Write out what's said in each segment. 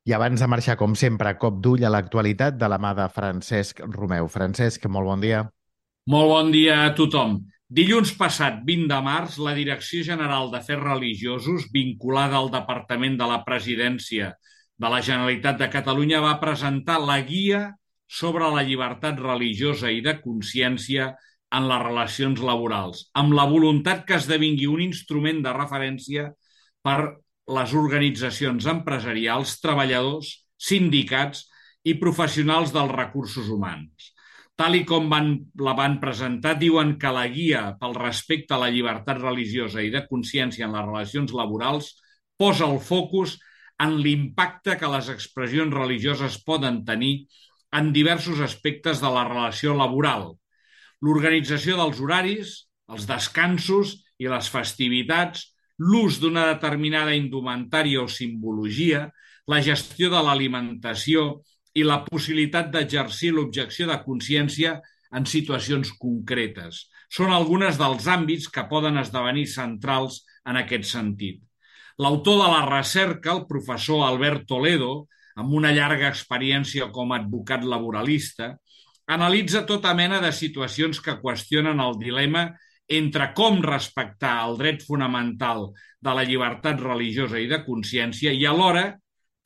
I abans de marxar, com sempre, cop d'ull a l'actualitat de la mà de Francesc Romeu. Francesc, molt bon dia. Molt bon dia a tothom. Dilluns passat, 20 de març, la Direcció General d'Afers Religiosos, vinculada al Departament de la Presidència de la Generalitat de Catalunya, va presentar la Guia sobre la llibertat religiosa i de consciència en les relacions laborals, amb la voluntat que esdevingui un instrument de referència per les organitzacions empresarials, treballadors, sindicats i professionals dels recursos humans. Tal i com la van presentar, diuen que la guia pel respecte a la llibertat religiosa i de consciència en les relacions laborals posa el focus en l'impacte que les expressions religioses poden tenir en diversos aspectes de la relació laboral. L'organització dels horaris, els descansos i les festivitats, l'ús d'una determinada indumentària o simbologia, la gestió de l'alimentació i la possibilitat d'exercir l'objecció de consciència en situacions concretes. Són algunes dels àmbits que poden esdevenir centrals en aquest sentit. L'autor de la recerca, el professor Albert Toledo, amb una llarga experiència com a advocat laboralista, analitza tota mena de situacions que qüestionen el dilema entre com respectar el dret fonamental de la llibertat religiosa i de consciència i alhora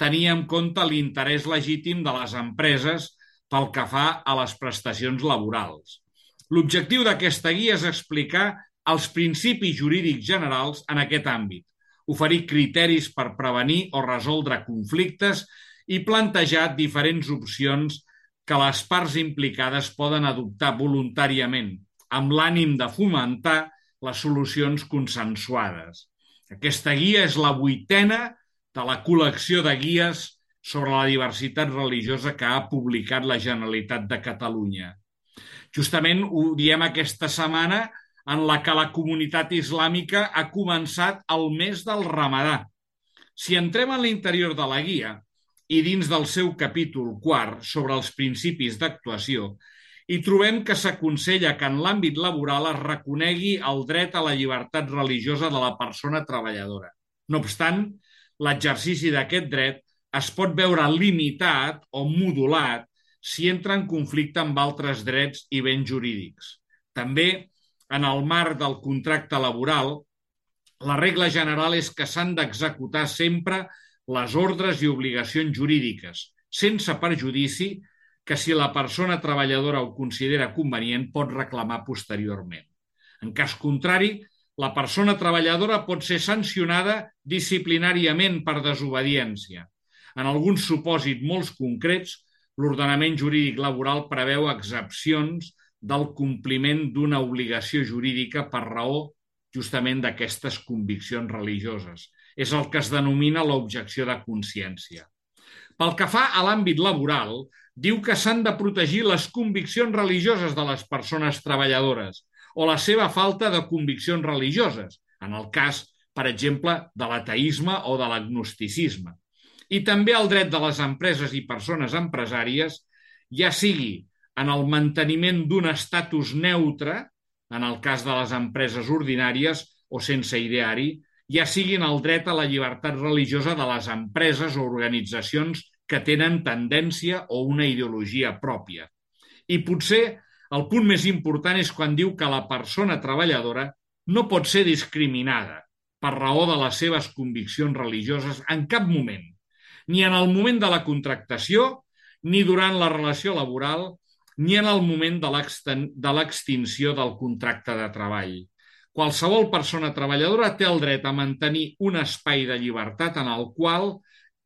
tenir en compte l'interès legítim de les empreses pel que fa a les prestacions laborals. L'objectiu d'aquesta guia és explicar els principis jurídics generals en aquest àmbit, oferir criteris per prevenir o resoldre conflictes i plantejar diferents opcions que les parts implicades poden adoptar voluntàriament, amb l'ànim de fomentar les solucions consensuades. Aquesta guia és la 8a de la col·lecció de guies sobre la diversitat religiosa que ha publicat la Generalitat de Catalunya. Justament ho diem aquesta setmana en la que la comunitat islàmica ha començat el mes del Ramadà. Si entrem en l'interior de la guia i dins del seu capítol 4 sobre els principis d'actuació, hi trobem que s'aconsella que en l'àmbit laboral es reconegui el dret a la llibertat religiosa de la persona treballadora. No obstant, l'exercici d'aquest dret es pot veure limitat o modulat si entra en conflicte amb altres drets i béns jurídics. També, en el marc del contracte laboral, la regla general és que s'han d'executar sempre les ordres i obligacions jurídiques, sense perjudici que si la persona treballadora ho considera convenient pot reclamar posteriorment. En cas contrari, la persona treballadora pot ser sancionada disciplinàriament per desobediència. En alguns supòsits molt concrets, l'ordenament jurídic laboral preveu excepcions del compliment d'una obligació jurídica per raó justament d'aquestes conviccions religioses. És el que es denomina l'objecció de consciència. Pel que fa a l'àmbit laboral, diu que s'han de protegir les conviccions religioses de les persones treballadores o la seva falta de conviccions religioses, en el cas, per exemple, de l'ateisme o de l'agnosticisme. I també el dret de les empreses i persones empresàries, ja sigui en el manteniment d'un estatus neutre, en el cas de les empreses ordinàries o sense ideari, ja sigui en el dret a la llibertat religiosa de les empreses o organitzacions que tenen tendència o una ideologia pròpia. I potser el punt més important és quan diu que la persona treballadora no pot ser discriminada per raó de les seves conviccions religioses en cap moment, ni en el moment de la contractació, ni durant la relació laboral, ni en el moment de l'extinció del contracte de treball. Qualsevol persona treballadora té el dret a mantenir un espai de llibertat en el qual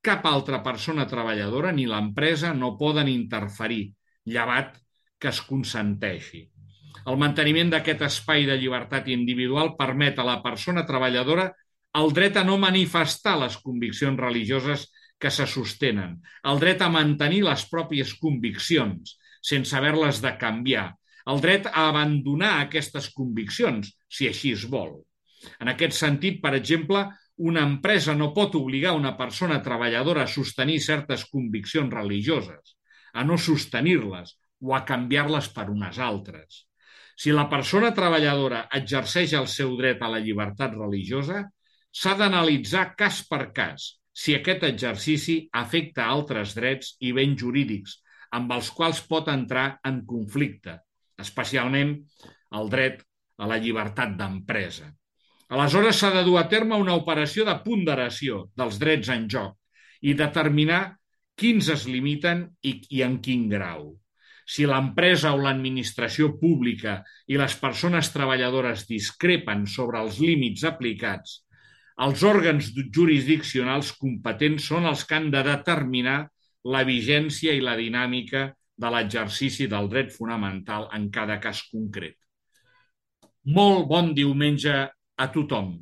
cap altra persona treballadora ni l'empresa no poden interferir, llevat que es consenteixi. El manteniment d'aquest espai de llibertat individual permet a la persona treballadora el dret a no manifestar les conviccions religioses que se sostenen, el dret a mantenir les pròpies conviccions sense haver-les de canviar, el dret a abandonar aquestes conviccions, si així es vol. En aquest sentit, per exemple, una empresa no pot obligar una persona treballadora a sostenir certes conviccions religioses, a no sostenir-les o a canviar-les per unes altres. Si la persona treballadora exerceix el seu dret a la llibertat religiosa, s'ha d'analitzar cas per cas si aquest exercici afecta altres drets i béns jurídics amb els quals pot entrar en conflicte, especialment el dret a la llibertat d'empresa. Aleshores s'ha de dur a terme una operació de ponderació dels drets en joc i determinar quins es limiten i en quin grau. Si l'empresa o l'administració pública i les persones treballadores discrepen sobre els límits aplicats, els òrgans jurisdiccionals competents són els que han de determinar la vigència i la dinàmica de l'exercici del dret fonamental en cada cas concret. Molt bon diumenge a tothom.